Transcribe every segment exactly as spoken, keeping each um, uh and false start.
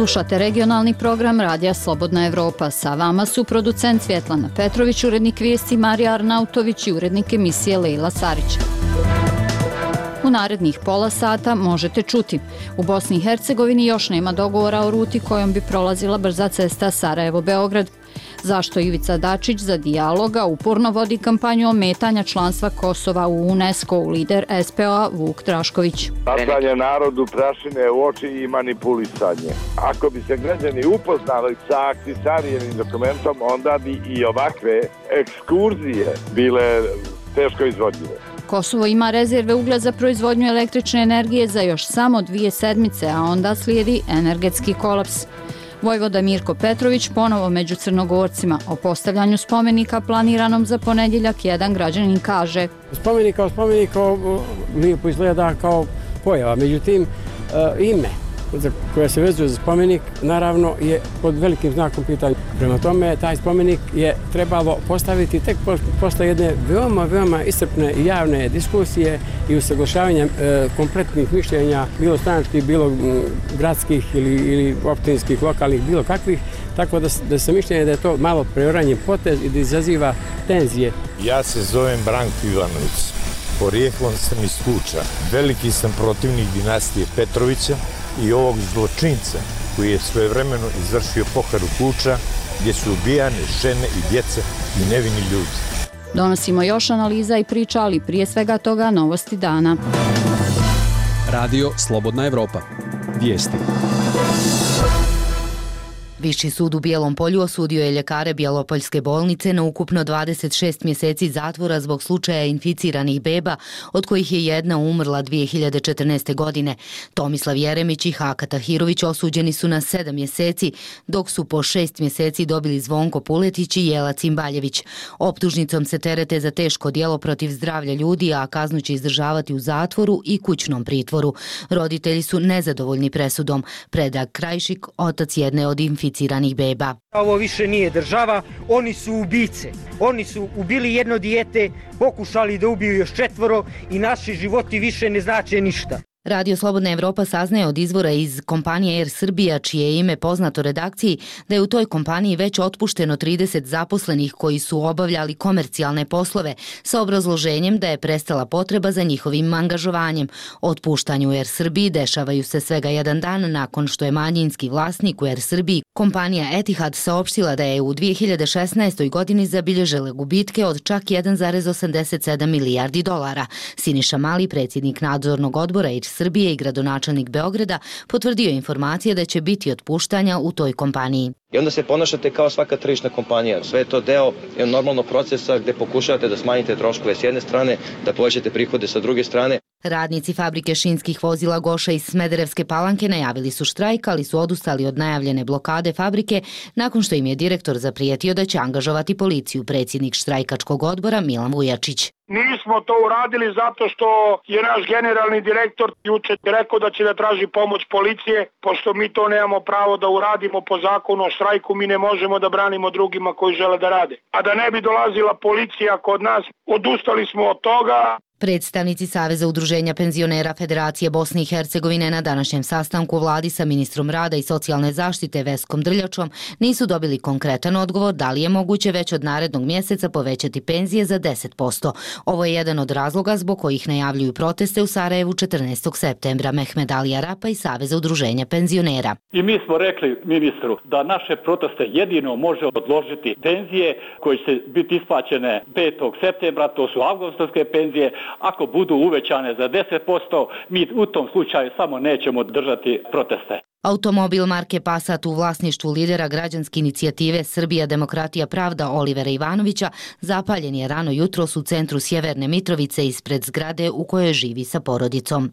Slušate regionalni program Radija Slobodna Evropa. Sa vama su producent Svjetlana Petrović, urednik vijesti Marija Arnautović i urednik emisije Lejla Sarić. U narednih pola sata možete čuti. U Bosni i Hercegovini još nema dogovora o ruti kojom bi prolazila brza cesta Sarajevo-Beograd. Zašto Ivica Dačić za dijaloga uporno vodi kampanju ometanja članstva Kosova u UNESCO, lider S P O-a Vuk Drašković. Bacanje narodu prašine u oči i manipulisanje. Ako bi se građani upoznali sa Ahtisarijenim dokumentom, onda bi i ovakve ekskurzije bile teško izvodljive. Kosovo ima rezerve uglja za proizvodnju električne energije za još samo dvije sedmice, a onda slijedi energetski kolaps. Vojvoda Mirko Petrović ponovo među Crnogorcima. O postavljanju spomenika planiranom za ponedjeljak jedan građanin kaže: Spomenik kao spomenik lijepo izgleda kao pojava, međutim ime koja se vezuje za spomenik naravno je pod velikim znakom pitanja. Prema tome, taj spomenik je trebalo postaviti tek posle jedne veoma, veoma iscrpne i javne diskusije i usaglašavanja e, kompletnih mišljenja, bilo stranačkih, bilo gradskih ili, ili općinskih, lokalnih, bilo kakvih, tako da, da se mišljenje da je to malo preoranjen potez i da izaziva tenzije. Ja se zovem Branko Ivanović, porijeklom sam iz Kuča, veliki sam protivnik dinastije Petrovića i ovog zločinca koji je svojevremeno izvršio pohranu Kuča gdje su ubijane žene i djeca i nevini ljudi. Donosimo još analiza i priča, ali prije svega toga novosti dana. Radio Slobodna Evropa. Vijesti. Viši sud u Bijelom Polju osudio je ljekare Bjelopoljske bolnice na ukupno dvadeset šest mjeseci zatvora zbog slučaja inficiranih beba, od kojih je jedna umrla dvije hiljade četrnaeste. godine. Tomislav Jeremić i Haka Tahirović osuđeni su na sedam mjeseci, dok su po šest mjeseci dobili Zvonko Puletić i Jela Cimbaljević. Optužnicom se terete za teško djelo protiv zdravlja ljudi, a kaznu će izdržavati u zatvoru i kućnom pritvoru. Roditelji su nezadovoljni presudom. Predrag Krajšik, otac jedne od inficiranih beba. Ovo više nije država, oni su ubice. Oni su ubili jedno dijete, pokušali da ubiju još četvoro i naši životi više ne znače ništa. Radio Slobodna Evropa saznaje od izvora iz kompanije Air Srbija, čije je ime poznato redakciji, da je u toj kompaniji već otpušteno trideset zaposlenih koji su obavljali komercijalne poslove sa obrazloženjem da je prestala potreba za njihovim angažovanjem. Otpuštanju Air Srbiji dešavaju se svega jedan dan nakon što je manjinski vlasnik u Air Srbiji, kompanija Etihad, saopštila da je u dvije hiljade šesnaestoj. godini zabilježila gubitke od čak jedan zarez osamdeset sedam milijardi dolara. Siniša Mali, predsjednik nadzornog odbora Air Srbije i gradonačelnik Beograda, potvrdio informacije da će biti otpuštanja u toj kompaniji. I onda se ponašate kao svaka tržišna kompanija. Sve je to deo normalnog procesa gdje pokušavate da smanjite troškove s jedne strane, da povećate prihode sa druge strane. Radnici fabrike šinskih vozila Goša iz Smederevske Palanke najavili su štrajk, ali su odustali od najavljene blokade fabrike nakon što im je direktor zaprijetio da će angažovati policiju, predsjednik štrajkačkog odbora Milan Vujačić. Nismo to uradili zato što je naš generalni direktor juče rekao da će da traži pomoć policije, pošto mi to nemamo pravo da uradimo po zakonu o štrajku, mi ne možemo da branimo drugima koji žele da rade. A da ne bi dolazila policija kod nas, odustali smo od toga. Predstavnici Saveza udruženja penzionera Federacije Bosne i Hercegovine na današnjem sastanku u vladi sa ministrom rada i socijalne zaštite Veskom Drljačom nisu dobili konkretan odgovor da li je moguće već od narednog mjeseca povećati penzije za deset posto. Ovo je jedan od razloga zbog kojih najavljuju proteste u Sarajevu četrnaestog septembra. Mehmed Ali Arapa iz Saveza udruženja penzionera. I mi smo rekli ministru da naše proteste jedino može odložiti penzije koje će biti isplaćene petog septembra, to su avgustovske penzije. Ako budu uvećane za deset posto, mi u tom slučaju samo nećemo držati proteste. Automobil marke Passat u vlasništvu lidera građanske inicijative Srbija, demokratija, pravda Olivera Ivanovića zapaljen je rano jutros u centru Sjeverne Mitrovice ispred zgrade u kojoj živi sa porodicom.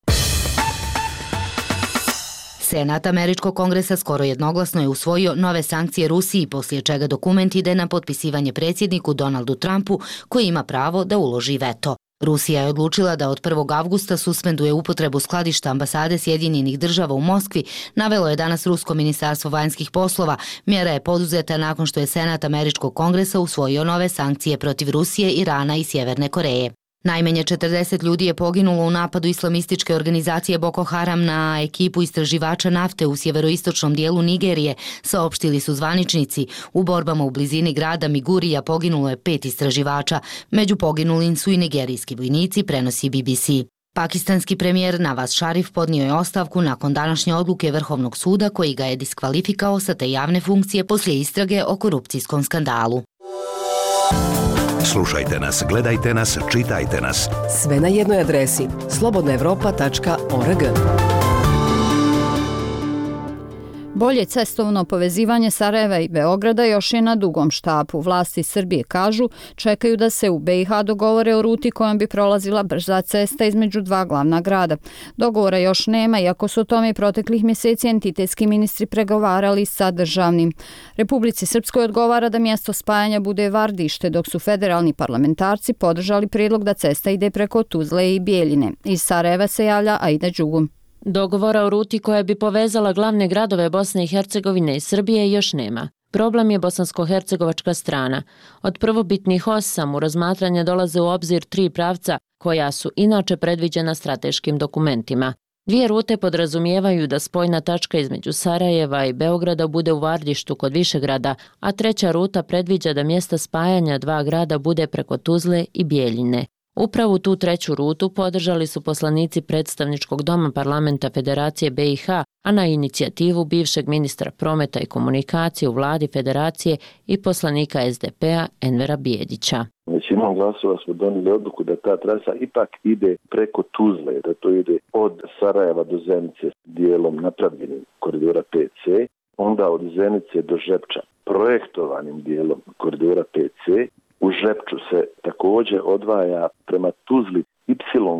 Senat Američkog kongresa skoro jednoglasno je usvojio nove sankcije Rusiji, poslije čega dokument ide na potpisivanje predsjedniku Donaldu Trumpu, koji ima pravo da uloži veto. Rusija je odlučila da od prvog avgusta suspenduje upotrebu skladišta ambasade Sjedinjenih država u Moskvi, navelo je danas Rusko ministarstvo vanjskih poslova. Mjera je poduzeta nakon što je Senat Američkog kongresa usvojio nove sankcije protiv Rusije, Irana i Sjeverne Koreje. Najmanje četrdeset ljudi je poginulo u napadu islamističke organizacije Boko Haram na ekipu istraživača nafte u sjeveroistočnom dijelu Nigerije, saopštili su zvaničnici. U borbama u blizini grada Migurija poginulo je pet istraživača. Među poginulim su i nigerijski vojnici, prenosi B B C. Pakistanski premijer Nawaz Sharif podnio je ostavku nakon današnje odluke Vrhovnog suda koji ga je diskvalifikao sa te javne funkcije poslije istrage o korupcijskom skandalu. Slušajte nas, gledajte nas, čitajte nas. Sve na jednoj adresi slobodna evropa tačka org. Bolje cestovno povezivanje Sarajeva i Beograda još je na dugom štapu. Vlasti Srbije kažu čekaju da se u B i H dogovore o ruti kojom bi prolazila brza cesta između dva glavna grada. Dogovora još nema, iako su o tome i proteklih mjeseci entitetski ministri pregovarali sa državnim. Republici Srpskoj odgovara da mjesto spajanja bude Vardište, dok su federalni parlamentarci podržali prijedlog da cesta ide preko Tuzle i Bijeljine. Iz Sarajeva se javlja Aida Đugum. Dogovora o ruti koja bi povezala glavne gradove Bosne i Hercegovine i Srbije još nema. Problem je bosansko-hercegovačka strana. Od prvobitnih osam u razmatranje dolaze u obzir tri pravca koja su inače predviđena strateškim dokumentima. Dvije rute podrazumijevaju da spojna tačka između Sarajeva i Beograda bude u Vardištu kod Višegrada, a treća ruta predviđa da mjesta spajanja dva grada bude preko Tuzle i Bijeljine. Upravo tu treću rutu podržali su poslanici predstavničkog doma parlamenta Federacije B i H, a na inicijativu bivšeg ministra prometa i komunikacije u vladi Federacije i poslanika S D P-a Envera Bijedića. Većinom glasova smo donijeli odluku da ta trasa ipak ide preko Tuzle, da to ide od Sarajeva do Zenice dijelom napravljenim koridora P C, onda od Zenice do Žepča projektovanim dijelom koridora P C. U Žepču se također odvaja prema Tuzli Y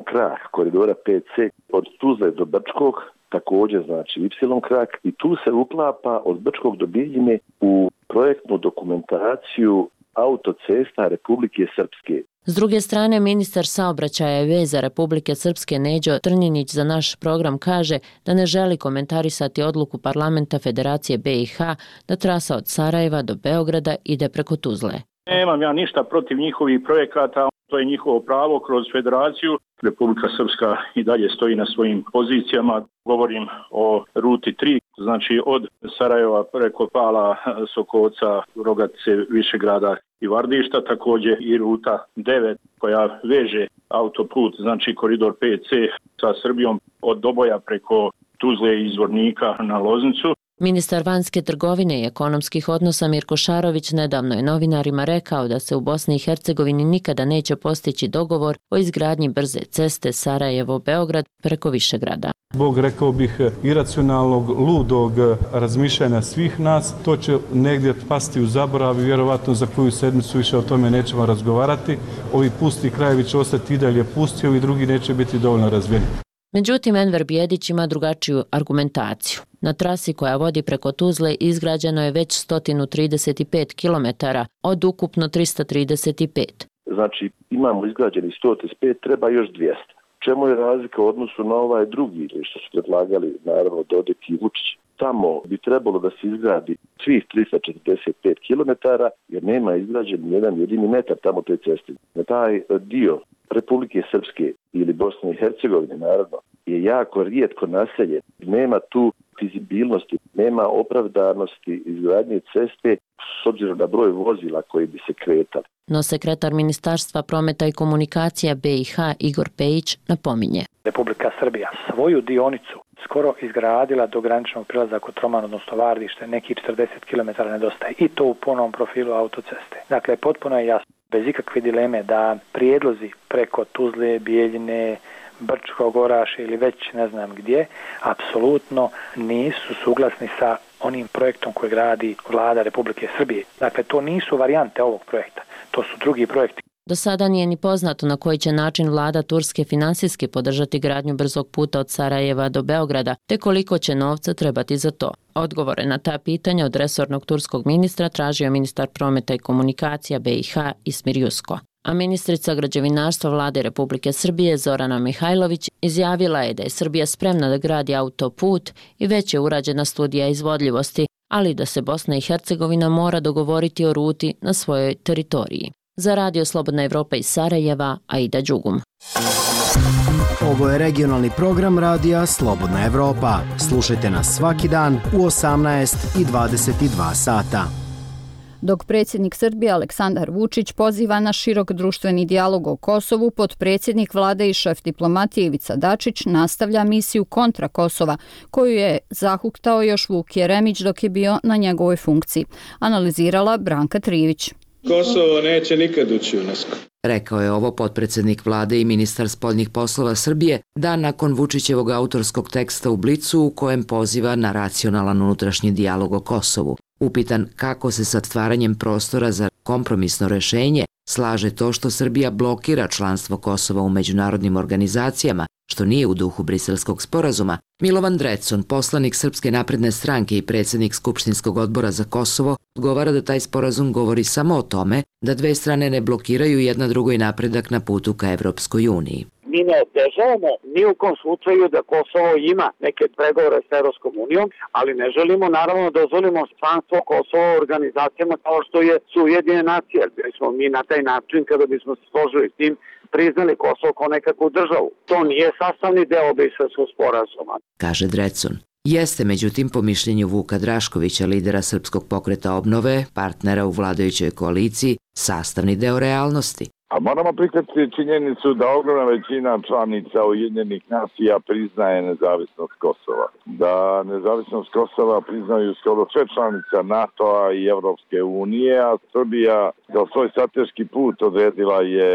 krak koridora P C od Tuzle do Brčkog, također znači Y krak, i tu se uklapa od Brčkog do Bijeljine u projektnu dokumentaciju autocesta Republike Srpske. S druge strane, ministar saobraćaja i veza Republike Srpske Neđo Trnjinić za naš program kaže da ne želi komentarisati odluku parlamenta Federacije B i H da trasa od Sarajeva do Beograda ide preko Tuzle. Nemam ja ništa protiv njihovih projekata, to je njihovo pravo kroz federaciju. Republika Srpska i dalje stoji na svojim pozicijama. Govorim o ruti tri, znači od Sarajeva preko Pala, Sokovca, Rogatice, Višegrada i Vardišta, također i ruta devet koja veže autoput, znači koridor P C sa Srbijom od Doboja preko Tuzle i Zvornika na Loznicu. Ministar vanjske trgovine i ekonomskih odnosa Mirko Šarović nedavno je novinarima rekao da se u Bosni i Hercegovini nikada neće postići dogovor o izgradnji brze ceste Sarajevo-Beograd preko Višegrada. Zbog, rekao bih, iracionalnog, ludog razmišljanja svih nas, to će negdje pasti u zaborav i vjerovatno za koju sedmicu više o tome nećemo razgovarati. Ovi pusti krajevi će ostati i dalje pusti, ovi drugi neće biti dovoljno razvijeni. Međutim, Enver Bijedić ima drugačiju argumentaciju. Na trasi koja vodi preko Tuzle izgrađeno je već sto trideset pet kilometara od ukupno tristo trideset pet. Znači imamo izgrađeni sto trideset pet, treba još dvjesto. Čemu je razlika u odnosu na ovaj drugi ili što su predlagali naravno Dodik i Vučić? Tamo bi trebalo da se izgradi svih tristo četrdeset pet kilometara jer nema izgrađen jedan jedini metar tamo te ceste. Na taj dio Republike Srpske ili Bosne i Hercegovine naravno je jako rijetko naseljen. Nema tu fizibilnosti, nema opravdanosti izgradnje ceste s obzirom na broj vozila koji bi se kretali. No sekretar Ministarstva prometa i komunikacija B i H Igor Pejić napominje. Republika Srbija svoju dionicu skoro izgradila do graničnog prilaza Kotroman, odnosno Vardište, nekih četrdeset kilometara nedostaje i to u punom profilu autoceste. Dakle, potpuno je jasno, bez ikakve dileme da prijedlozi preko Tuzle, Bijeljine, Brčkog, Oraše ili već ne znam gdje, apsolutno nisu suglasni sa onim projektom koji gradi vlada Republike Srbije. Dakle, to nisu varijante ovog projekta, to su drugi projekti. Do sada nije ni poznato na koji će način vlada Turske finansijski podržati gradnju brzog puta od Sarajeva do Beograda, te koliko će novca trebati za to. Odgovore na ta pitanja od resornog turskog ministra tražio ministar prometa i komunikacija B i H Ismir Jusko. A ministrica građevinarstva vlade Republike Srbije Zorana Mihajlović izjavila je da je Srbija spremna da gradi autoput i već je urađena studija izvodljivosti, ali da se Bosna i Hercegovina mora dogovoriti o ruti na svojoj teritoriji. Za Radio Slobodna Evropa iz Sarajeva, Aida Đugum. Ovo je regionalni program radija Slobodna Evropa. Slušajte nas svaki dan u osamnaest i dvadeset dva sata. Dok predsjednik Srbije Aleksandar Vučić poziva na širok društveni dijalog o Kosovu, potpredsjednik vlade i šef diplomatije Ivica Dačić nastavlja misiju kontra Kosova, koju je zahuktao još Vuk Jeremić dok je bio na njegovoj funkciji. Analizirala Branka Trivić. Kosovo neće nikad ući u UNESCO. Rekao je ovo potpredsjednik vlade i ministar spoljnih poslova Srbije dan nakon Vučićevog autorskog teksta u Blicu u kojem poziva na racionalan unutrašnji dijalog o Kosovu. Upitan kako se sa stvaranjem prostora za kompromisno rešenje slaže to što Srbija blokira članstvo Kosova u međunarodnim organizacijama, što nije u duhu Briselskog sporazuma, Milovan Drecun, poslanik Srpske napredne stranke i predsjednik Skupštinskog odbora za Kosovo, odgovara da taj sporazum govori samo o tome da dve strane ne blokiraju jedna drugoj napredak na putu ka Evropskoj uniji. Mi ne otežavamo ni u kom slučaju da Kosovo ima neke pregovore s Evropskom unijom, ali ne želimo naravno da dozvolimo članstvo Kosova u organizacijama kao što je su Ujedinjene nacije. Bili smo mi na taj način kada bismo se složili s tim priznali Kosovo kao nekakvu državu. To nije sastavni deo Briselskog sporazuma, kaže Drecun. Jeste, međutim, po mišljenju Vuka Draškovića, lidera Srpskog pokreta obnove, partnera u vladajućoj koaliciji, sastavni deo realnosti. A moramo prihvatiti činjenicu da ogromna većina članica Ujedinjenih nacija priznaje nezavisnost Kosova. Da nezavisnost Kosova priznaju skoro sve članica NATO-a i Evropske unije, a Srbija za svoj strateški put odredila je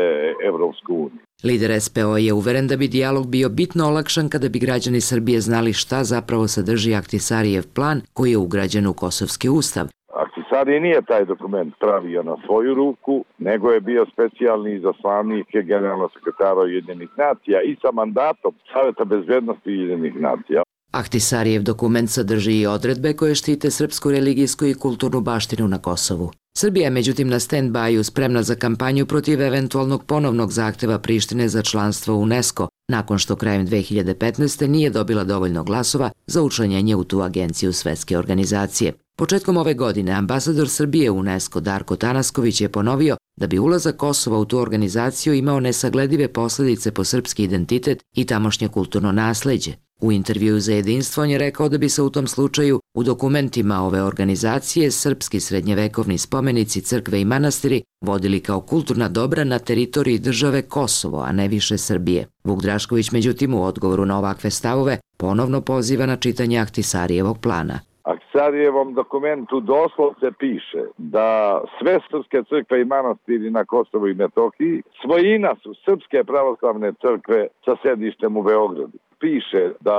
Evropsku uniju. Lider es pe o je uveren da bi dijalog bio bitno olakšan kada bi građani Srbije znali šta zapravo sadrži Ahtisarijev plan koji je ugrađen u Kosovski ustav. Ahtisari nije taj dokument pravio na svoju ruku, nego je bio specijalni izaslanik generalnog sekretara Ujedinjenih nacija i sa mandatom Saveta bezbednosti Ujedinjenih nacija. Ahtisarijev dokument sadrži i odredbe koje štite srpsku religijsku i kulturnu baštinu na Kosovu. Srbija je međutim na stand-byu spremna za kampanju protiv eventualnog ponovnog zahteva Prištine za članstvo u UNESCO, nakon što krajem dve hiljade petnaeste. nije dobila dovoljno glasova za učlanjenje u tu agenciju Svetske organizacije. Početkom ove godine ambasador Srbije u UNESCO Darko Tanasković je ponovio da bi ulazak Kosova u tu organizaciju imao nesagledive posljedice po srpski identitet i tamošnje kulturno nasleđe. U intervjuu za Jedinstvo on je rekao da bi se u tom slučaju u dokumentima ove organizacije srpski srednjevekovni spomenici, crkve i manastiri vodili kao kulturna dobra na teritoriji države Kosovo, a ne više Srbije. Vuk Drašković međutim u odgovoru na ovakve stavove ponovno poziva na čitanje Ahtisarijevog plana. Ahtisarijevom dokumentu doslovce piše da sve srpske crkve i manastiri na Kosovu i Metohiji svojina su Srpske pravoslavne crkve sa sedištem u Beogradu. Piše da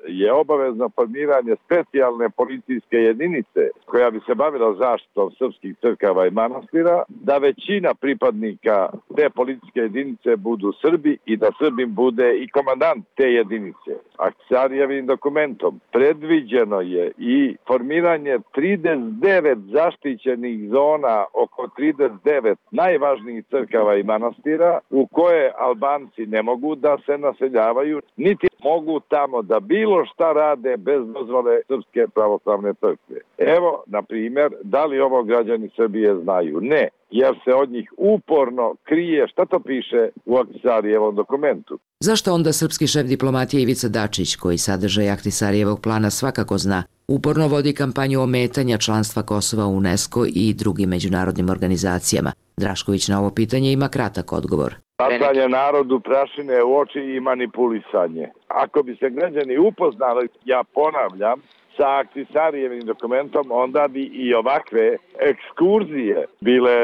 je obavezno formiranje specijalne policijske jedinice koja bi se bavila zaštitom srpskih crkava i manastira, da većina pripadnika te policijske jedinice budu Srbi i da Srbim bude i komandant te jedinice. Ahtisarijevim dokumentom predviđeno je i formiranje trideset devet zaštićenih zona oko trideset devet najvažnijih crkava i manastira u koje Albanci ne mogu da se naseljavaju, niti mogu tamo da bilo šta rade bez dozvole Srpske pravoslavne crkve. Evo, na primjer, da li ovo građani Srbije znaju? Ne, jer se od njih uporno krije šta to piše u Ahtisarijevom dokumentu. Zašto onda srpski šef diplomatije Ivica Dačić, koji sadržaj Ahtisarijevog plana svakako zna, uporno vodi kampanju ometanja članstva Kosova u UNESCO i drugim međunarodnim organizacijama? Drašković na ovo pitanje ima kratak odgovor. Bacanje narodu prašine u oči i manipulisanje. Ako bi se građani upoznali, ja ponavljam, sa Ahtisarijevim dokumentom, onda bi i ovakve ekskurzije bile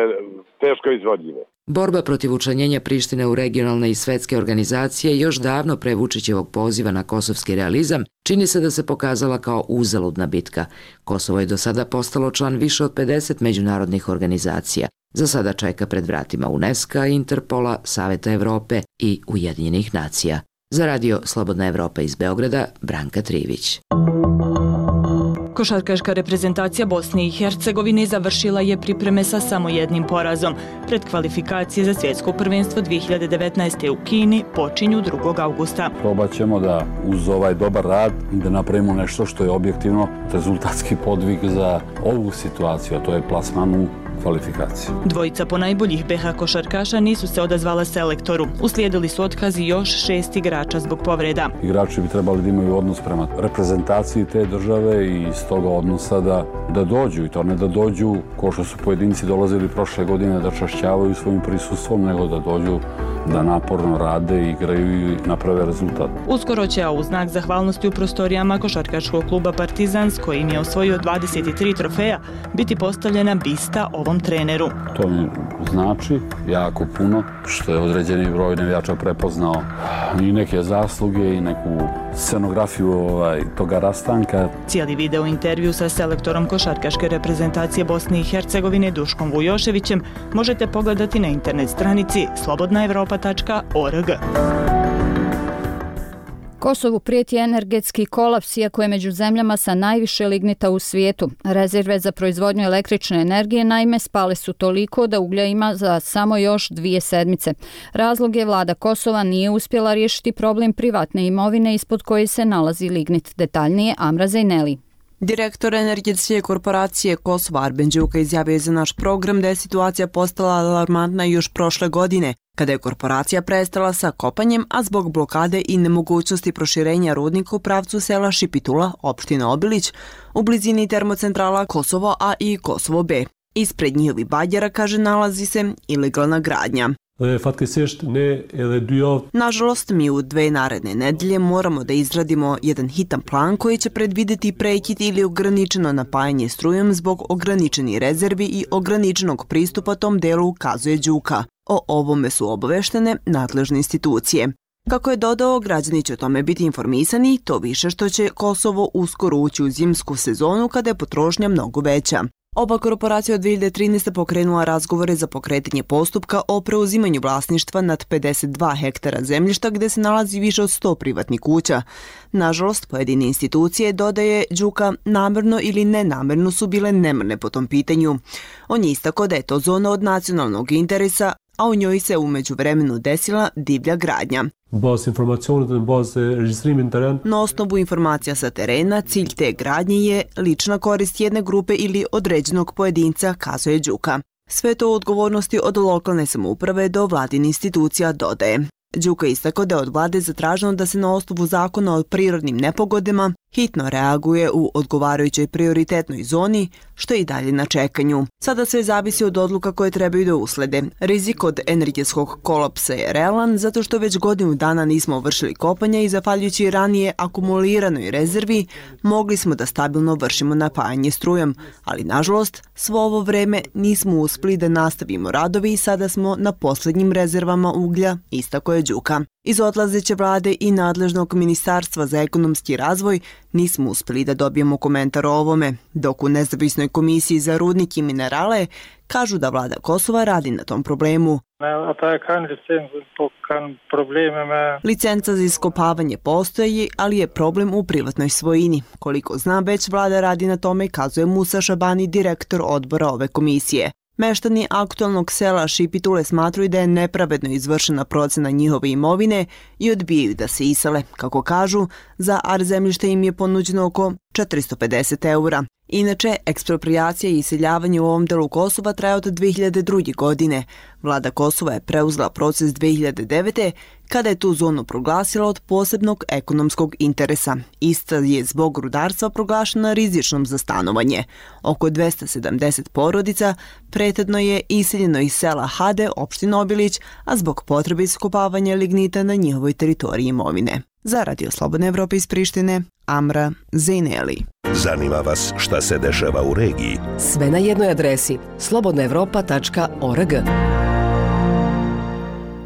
teško izvodljive. Borba protiv učlanjenja Prištine u regionalne i svetske organizacije još davno pre Vučićevog poziva na kosovski realizam čini se da se pokazala kao uzaludna bitka. Kosovo je do sada postalo član više od pedeset međunarodnih organizacija. Za sada čeka pred vratima UNESCO, Interpola, Saveta Evrope i Ujedinjenih nacija. Za radio Slobodna Evropa iz Beograda, Branka Trivić. Košarkaška reprezentacija Bosne i Hercegovine završila je pripreme sa samo jednim porazom. Pred kvalifikacije za svjetsko prvenstvo dve hiljade devetnaeste. u Kini počinju drugog avgusta. Probat ćemo da uz ovaj dobar rad da napravimo nešto što je objektivno rezultatski podvig za ovu situaciju, a to je plasman u kvalifikacije. Dvojica ponajboljih be ha košarkaša nisu se odazvala selektoru. Uslijedili su otkazi još šest igrača zbog povreda. Igrači bi trebali da imaju odnos prema reprezentaciji te države i iz toga odnosa da, da dođu, i to ne da dođu ko što su pojedinci dolazili prošle godine da čašćavaju svojim prisustvom, nego da dođu da naporno rade, igraju i naprave rezultat. Uskoro će, a u znak zahvalnosti u prostorijama košarkaškog kluba Partizan, s kojim je osvojio dvadeset tri trofeja, biti postavljena bista ovom treneru. To mi znači jako puno, što je određeni broj navijača prepoznao i neke zasluge i neku scenografiju ovaj, toga rastanka. Cijeli video intervju sa selektorom košarkaške reprezentacije Bosne i Hercegovine Duškom Vujoševićem možete pogledati na internet stranici slobodna evropa tačka org. Kosovu prijeti energetski kolaps, iako je među zemljama sa najviše lignita u svijetu. Rezerve za proizvodnju električne energije naime spale su toliko da uglja ima za samo još dvije sedmice. Razlog je vlada Kosova nije uspjela riješiti problem privatne imovine ispod koje se nalazi lignit. Detaljnije Amra Zejneli. Direktor energetske korporacije Kosova Arben Đuka izjavio je za naš program da je situacija postala alarmantna još prošle godine, kada je korporacija prestala sa kopanjem, a zbog blokade i nemogućnosti proširenja rudnika u pravcu sela Šipitula, opština Obilić, u blizini termocentrala Kosovo A i Kosovo B. Ispred njihovih bađera, kaže, nalazi se ilegalna gradnja. Nažalost, mi u dve naredne nedelje moramo da izradimo jedan hitan plan koji će predvideti prekid ili ograničeno napajanje strujom zbog ograničenih rezervi i ograničenog pristupa tom delu, kazuje Đuka. O ovome su obaveštene nadležne institucije. Kako je dodao, građani će o tome biti informisani, to više što će Kosovo uskoro ući u zimsku sezonu kada je potrošnja mnogo veća. Oba korporacija od dvije hiljade trinaeste. pokrenula razgovore za pokretanje postupka o preuzimanju vlasništva nad pedeset dva hektara zemljišta gde se nalazi više od sto privatnih kuća. Nažalost, pojedine institucije, dodaje Đuka, namerno ili nenamerno su bile nemrne po tom pitanju. On je istakao da je to zona od nacionalnog interesa, a u njoj se umeđu vremenu desila divlja gradnja. Na osnovu informacija sa terena, cilj te gradnje je lična korist jedne grupe ili određenog pojedinca, kazuje Đuka. Sve to u odgovornosti od lokalne samouprave do vladine institucija, dodaje. Đuka istakao da je od vlade zatraženo da se na osnovu zakona o prirodnim nepogodama hitno reaguje u odgovarajućoj prioritetnoj zoni, što je i dalje na čekanju. Sada sve zavisi od odluka koje trebaju da uslede. Rizik od energetskog kolapsa je realan zato što već godinu dana nismo vršili kopanja i zahvaljujući ranije akumuliranoj rezervi mogli smo da stabilno vršimo napajanje strujom, ali nažalost svo ovo vreme nismo uspeli da nastavimo radovi i sada smo na posljednjim rezervama uglja, istakao je Đuka. Iz odlazeće vlade i nadležnog ministarstva za ekonomski razvoj nismo uspeli da dobijemo komentar o ovome, dok u nezavisnoj komisiji za rudnik i minerale kažu da vlada Kosova radi na tom problemu. Licenca za iskopavanje postoji, ali je problem u privatnoj svojini. Koliko znam, već vlada radi na tome, kazuje Musa Šabani, direktor odbora ove komisije. Meštani aktualnog sela Šipitule smatruju da je nepravedno izvršena procena njihove imovine i odbijaju da se isele. Kako kažu, za ar zemljište im je ponuđeno oko četiristo pedeset eura. Inače, ekspropriacija i iseljavanje u ovom delu Kosova traje od dvije hiljade druge. godine. Vlada Kosova je preuzela proces dvije hiljade devete. kada je tu zonu proglasila od posebnog ekonomskog interesa. Ista je zbog rudarstva proglašena rizičnom za stanovanje. Oko dvesta sedamdeset porodica prethodno je iseljeno iz sela Hade, opština Obilić, a zbog potrebe iskopavanja lignita na njihovoj teritoriji imovine. Za Radio Slobodne Evrope iz Prištine, Amra Zejneli. Zanima vas šta se dešava u regiji? Sve na jednoj adresi slobodna evropa tačka org.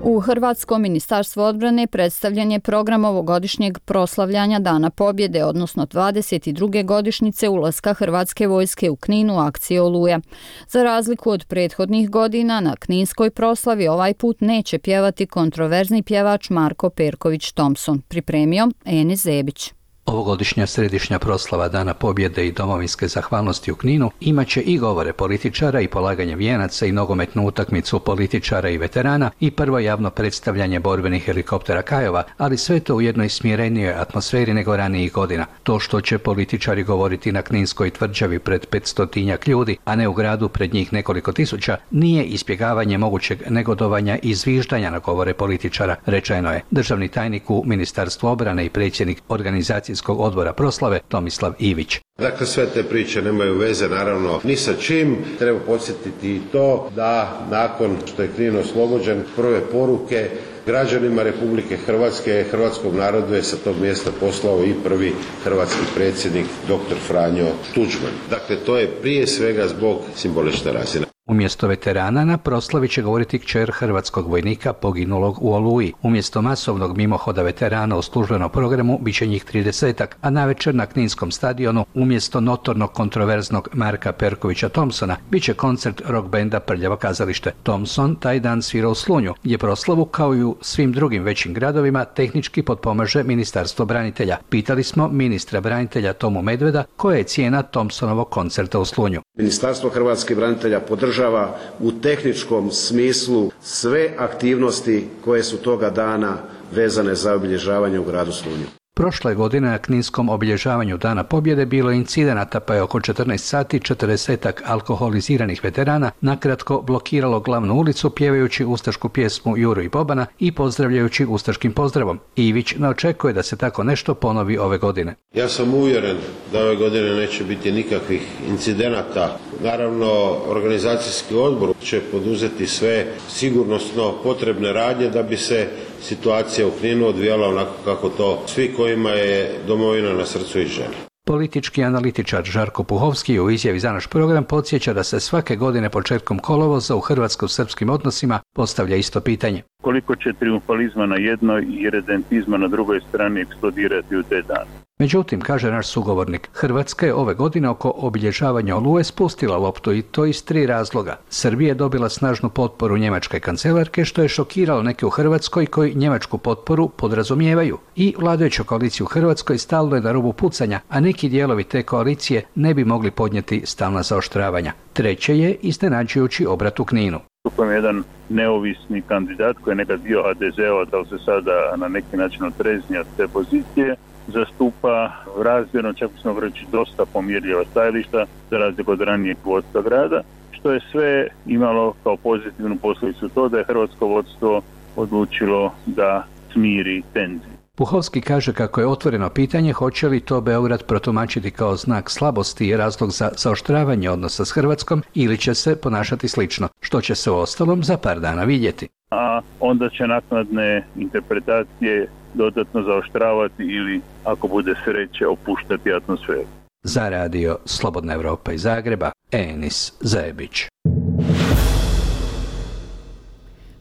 U Hrvatskom ministarstvu odbrane predstavljen je program ovogodišnjeg proslavljanja Dana pobjede, odnosno dvadeset druge godišnjice ulaska Hrvatske vojske u Knin u akciji Oluja. Za razliku od prethodnih godina, na kninskoj proslavi ovaj put neće pjevati kontroverzni pjevač Marko Perković Thompson, pripremio Enis Zebić. Ovogodišnja središnja proslava Dana pobjede i domovinske zahvalnosti u Kninu imaće i govore političara i polaganje vijenaca i nogometnu utakmicu političara i veterana i prvo javno predstavljanje borbenih helikoptera Kajova, ali sve to u jednoj smirenijoj atmosferi nego ranijih godina. To što će političari govoriti na Kninskoj tvrđavi pred petstotinjak ljudi, a ne u gradu pred njih nekoliko tisuća, nije izbjegavanje mogućeg negodovanja i zviždanja na govore političara, rečeno je državni tajnik u Ministarstvu obrane i predsjednik organizacijskog odbora proslave Tomislav Ivić. Dakle, sve te priče nemaju veze naravno ni sa čim. Treba podsjetiti i to da nakon što je Knin oslobođen, prve poruke građanima Republike Hrvatske, hrvatskom narodu je sa tog mjesta poslao i prvi hrvatski predsjednik doktor Franjo Tuđman. Dakle, to je prije svega zbog simbolične razine. Umjesto veterana na proslavi će govoriti kćer hrvatskog vojnika poginulog u Oluji. Umjesto masovnog mimohoda veterana u službenom programu bit će njih tridesetak, a navečer na Kninskom stadionu umjesto notornog kontroverznog Marka Perkovića Thompsona bit će koncert rock benda Prljavo kazalište. Thompson taj dan svira u Slunju, gdje proslavu kao i u svim drugim većim gradovima tehnički potpomaže Ministarstvo branitelja. Pitali smo ministra branitelja Tomu Medveda koja je cijena Thompsonovog koncerta u Slunju. Ministarstvo hrvatskih branitelja podržava u tehničkom smislu sve aktivnosti koje su toga dana vezane za obilježavanje u gradu Slunju. Prošle godine na Kninskom obilježavanju Dana pobjede bilo je incidenata, pa je oko četrnaest sati četrdesetak alkoholiziranih veterana nakratko blokiralo glavnu ulicu pjevajući ustašku pjesmu Juru i Bobana i pozdravljajući ustaškim pozdravom. Ivić ne očekuje da se tako nešto ponovi ove godine. Ja sam uvjeren da ove godine neće biti nikakvih incidenata. Naravno, organizacijski odbor će poduzeti sve sigurnosno potrebne radnje da bi se situacija u Kninu odvijala onako kako to svi kojima je domovina na srcu i žele. Politički analitičar Žarko Puhovski u izjavi za naš program podsjeća da se svake godine početkom kolovoza u hrvatsko-srpskim odnosima postavlja isto pitanje. Koliko će triumfalizma na jednoj i redentizma na drugoj strani eksplodirati u te dane? Međutim, kaže naš sugovornik, Hrvatska je ove godine oko obilježavanja Oluje spustila loptu i to iz tri razloga. Srbija je dobila snažnu potporu njemačke kancelarke, što je šokiralo neke u Hrvatskoj koji njemačku potporu podrazumijevaju. I vladajuća koalicija u Hrvatskoj stalno je na rubu pucanja, a neki dijelovi te koalicije ne bi mogli podnijeti stalna zaoštravanja. Treće je iznenađujući obrat u Kninu. Stupujem jedan neovisni kandidat koji je nekad bio ha de zeo, da li se sada na neki način otreznija te pozicije, zastupa razvjerno, čak smo reći dosta pomirljiva stajališta za razliku od ranijeg vodstva grada, što je sve imalo kao pozitivnu posljedicu to da je hrvatsko vodstvo odlučilo da smiri tenzije. Puhovski kaže kako je otvoreno pitanje hoće li to Beograd protumačiti kao znak slabosti i razlog za zaoštravanje odnosa s Hrvatskom ili će se ponašati slično, što će se u ostalom za par dana vidjeti. A onda će naknadne interpretacije dodatno zaoštravati ili, ako bude sreće, opuštati atmosferu. Za radio Slobodna Evropa iz Zagreba, Enis Zajebić.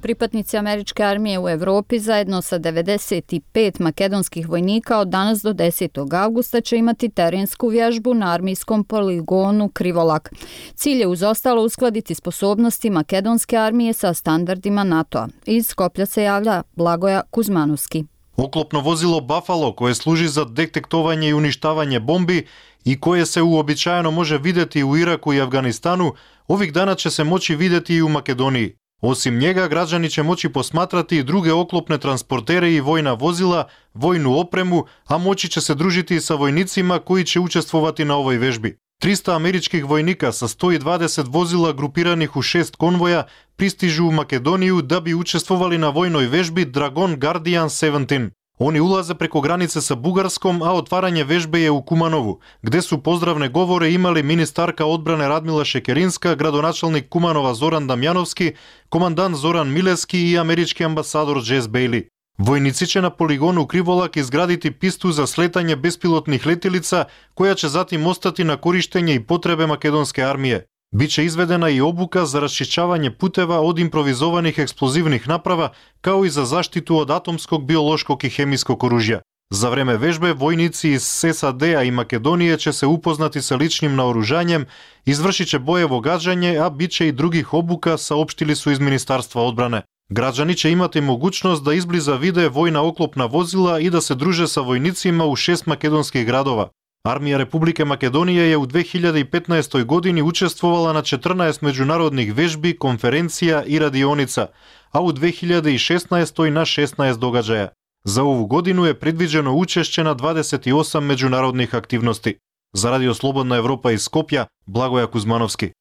Pripadnici američke armije u Evropi zajedno sa devedeset pet makedonskih vojnika od danas do desetog avgusta će imati terensku vježbu na armijskom poligonu Krivolak. Cilj je uz ostalo uskladiti sposobnosti makedonske armije sa standardima NATO-a. Iz Skoplja se javlja Blagoja Kuzmanovski. Oklopno vozilo Buffalo koje služi za detektovanje i uništavanje bombi i koje se uobičajeno može vidjeti u Iraku i Afganistanu, ovih dana će se moći vidjeti i u Makedoniji. Osim njega, građani će moći posmatrati i druge oklopne transportere i vojna vozila, vojnu opremu, a moći će se družiti i sa vojnicima koji će učestvovati na ovoj vežbi. trista američkih vojnika sa sto dvadeset vozila grupiranih u šest konvoja pristižu u Makedoniju da bi učestvovali na vojnoj vežbi Dragon Guardian sedamnaest. Oni ulaze preko granice sa Bugarskom, a otvaranje vežbe je u Kumanovu, gde su pozdravne govore imali ministarka odbrane Radmila Šekerinska, gradonačelnik Kumanova Zoran Damjanovski, komandant Zoran Mileski i američki ambasador Jess Bailey. Vojnici će na poligonu Krivolak izgraditi pistu za sletanje bespilotnih letjelica, koja će zatim ostati na korištenje i potrebe makedonske armije. Biće izvedena i obuka za raščišćavanje puteva od improvizovanih eksplozivnih naprava, kao i za zaštitu od atomskog, biološkog i hemijskog oružja. Za vreme vežbe vojnici iz es a de a i Makedonije će se upoznati sa ličnim naoružanjem, izvršit će bojevo gađanje, a bit će i drugih obuka, saopštili su iz Ministarstva odbrane. Граѓани ќе имате могуćност да изблиза виде војна оклопна возила и да се друже са војницима у шест македонски градова. Армија Република Македонија е у две илјади и петнаесета години учествувала на четрнаесет меѓународних вежби, конференција и радионица, а у две илјади и шеснаесета на шеснаесет догаđаја. За ову годину е предвиđено учешće на дваесет и осам меѓународних активности. За Радио Слободна Европа из Скопје, Благоја Кузмановски.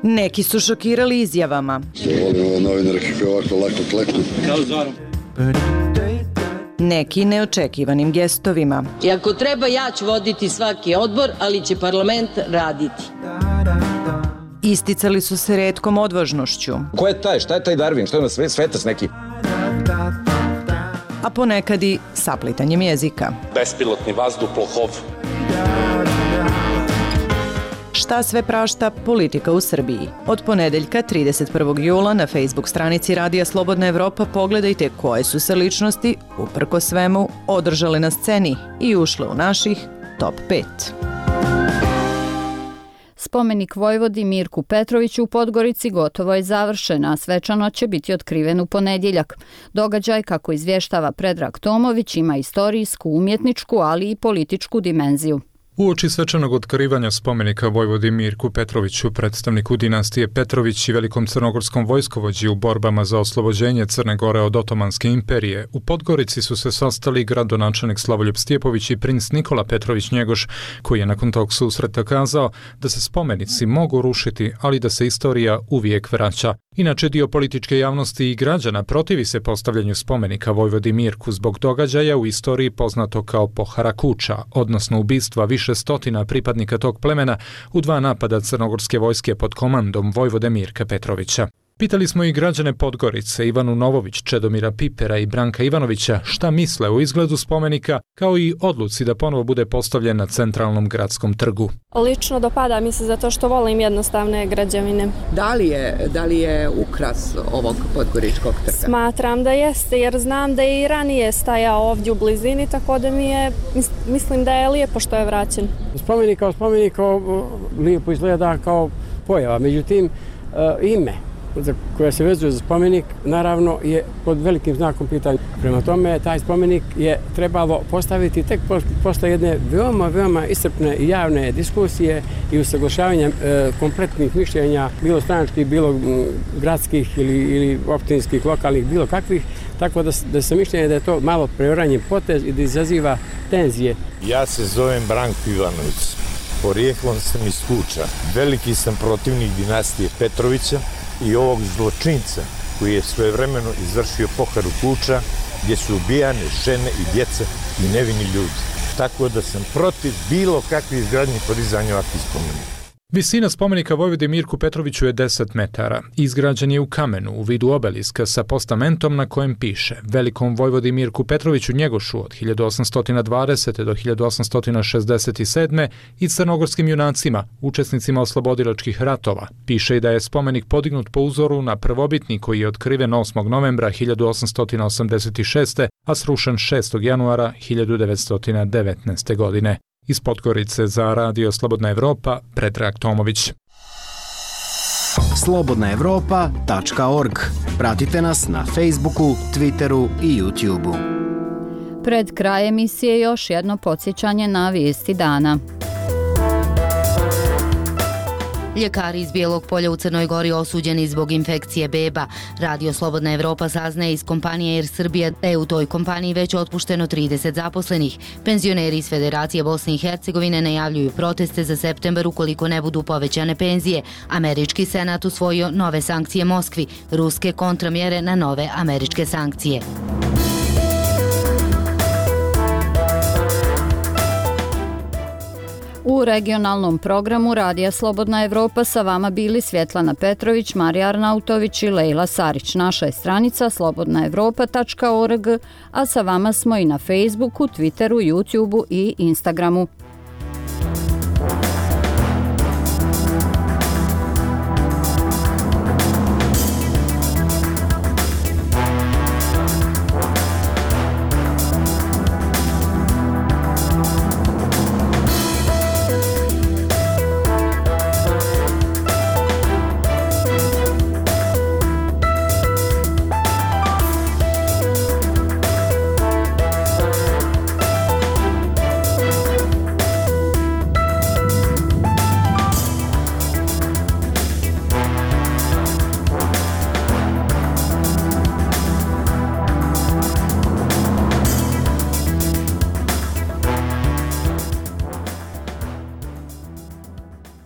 Neki su šokirali izjavama. Volimo novinare kako ovako lako kleku. Neki neočekivanim gestovima. I ako treba, ja ću voditi svaki odbor, ali će parlament raditi. Isticali su se retkom odvažnošću. Ko je taj? Šta je taj Darwin? Što je na sve, svetac neki? A ponekad i saplitanjem jezika. Bespilotni vazduhoplov. Šta sve prašta politika u Srbiji? Od ponedeljka trideset prvog jula na Facebook stranici Radija Slobodna Evropa pogledajte koje su se ličnosti, uprko svemu, održale na sceni i ušle u naših top pet. Spomenik Vojvodi Mirku Petroviću u Podgorici gotovo je završen, a svečano će biti otkriven u ponedjeljak. Događaj, kako izvještava Predrag Tomović, ima istorijsku, umjetničku, ali i političku dimenziju. Uoči svečanog otkrivanja spomenika Vojvodi Mirku Petroviću, predstavniku dinastije Petrović i velikom crnogorskom vojskovođi u borbama za oslobođenje Crne Gore od Otomanske imperije, u Podgorici su se sastali gradonačelnik Slavoljub Stjepović i princ Nikola Petrović Njegoš, koji je nakon tog susreta kazao da se spomenici mogu rušiti, ali da se istorija uvijek vraća. Inače, dio političke javnosti i građana protivi se postavljanju spomenika Vojvodi Mirku zbog događaja u istoriji poznato kao Pohara Kuča, odnosno ubistva više stotina pripadnika tog plemena u dva napada crnogorske vojske pod komandom Vojvode Mirka Petrovića. Pitali smo i građane Podgorice, Ivanu Novović, Čedomira Pipera i Branka Ivanovića, šta misle o izgledu spomenika, kao i odluci da ponovo bude postavljen na centralnom gradskom trgu. Lično dopada mi se zato što volim jednostavne građevine. Da li je, da li je ukras ovog podgoričkog trga? Smatram da jeste, jer znam da je i ranije stajao ovdje u blizini, tako da mi je, mislim da je lijepo što je vraćen. Spomenik kao spomenik lijepo izgleda kao pojava, međutim ime koja se vezuje za spomenik, naravno, je pod velikim znakom pitanja. Prema tome, taj spomenik je trebalo postaviti tek posle jedne veoma, veoma iscrpne i javne diskusije i usaglašavanja e, kompletnih mišljenja, bilo stranačkih, bilo gradskih ili, ili općinskih, lokalnih, bilo kakvih, tako da, da se mišljenje da je to malo preoranjen potez i da izaziva tenzije. Ja se zovem Branko Ivanović, porijeklom sam iz Kuča. Veliki sam protivnik dinastije Petrovića i ovog zločinca koji je svojevremeno izvršio Poharu Kuča, gdje su ubijane žene i djeca i nevini ljudi. Tako da sam protiv bilo kakve izgradnje i podizanja ovakvih spomenika. Visina spomenika Vojvodi Mirku Petroviću je deset metara. Izgrađen je u kamenu u vidu obeliska sa postamentom na kojem piše Velikom Vojvodi Mirku Petroviću Njegošu od hiljadu osamsto dvadesete. do hiljadu osamsto šezdeset sedme. i crnogorskim junacima, učesnicima oslobodilačkih ratova. Piše i da je spomenik podignut po uzoru na prvobitni koji je otkriven osmog novembra hiljadu osamsto osamdeset šeste. a srušen šestog januara hiljadu devetsto devetnaeste. godine. Iz Podgorice za Radio Slobodna Evropa, Predrag Tomović. slobodna evropa tačka org. Pratite nas na Facebooku, Twitteru i YouTubeu. Pred kraj emisije još jedno podsjećanje na vijesti dana. Ljekari iz Bijelog Polja u Crnoj Gori osuđeni zbog infekcije beba. Radio Slobodna Evropa saznaje iz kompanije Air Srbija da je u toj kompaniji već otpušteno trideset zaposlenih. Penzioneri iz Federacije Bosne i Hercegovine najavljuju proteste za septembar ukoliko ne budu povećane penzije. Američki senat usvojio nove sankcije Moskvi, ruske kontramjere na nove američke sankcije. U regionalnom programu Radija Slobodna Evropa sa vama bili Svjetlana Petrović, Marija Arnautović i Lejla Sarić. Naša je stranica slobodna evropa tačka org, a sa vama smo i na Facebooku, Twitteru, YouTubeu i Instagramu.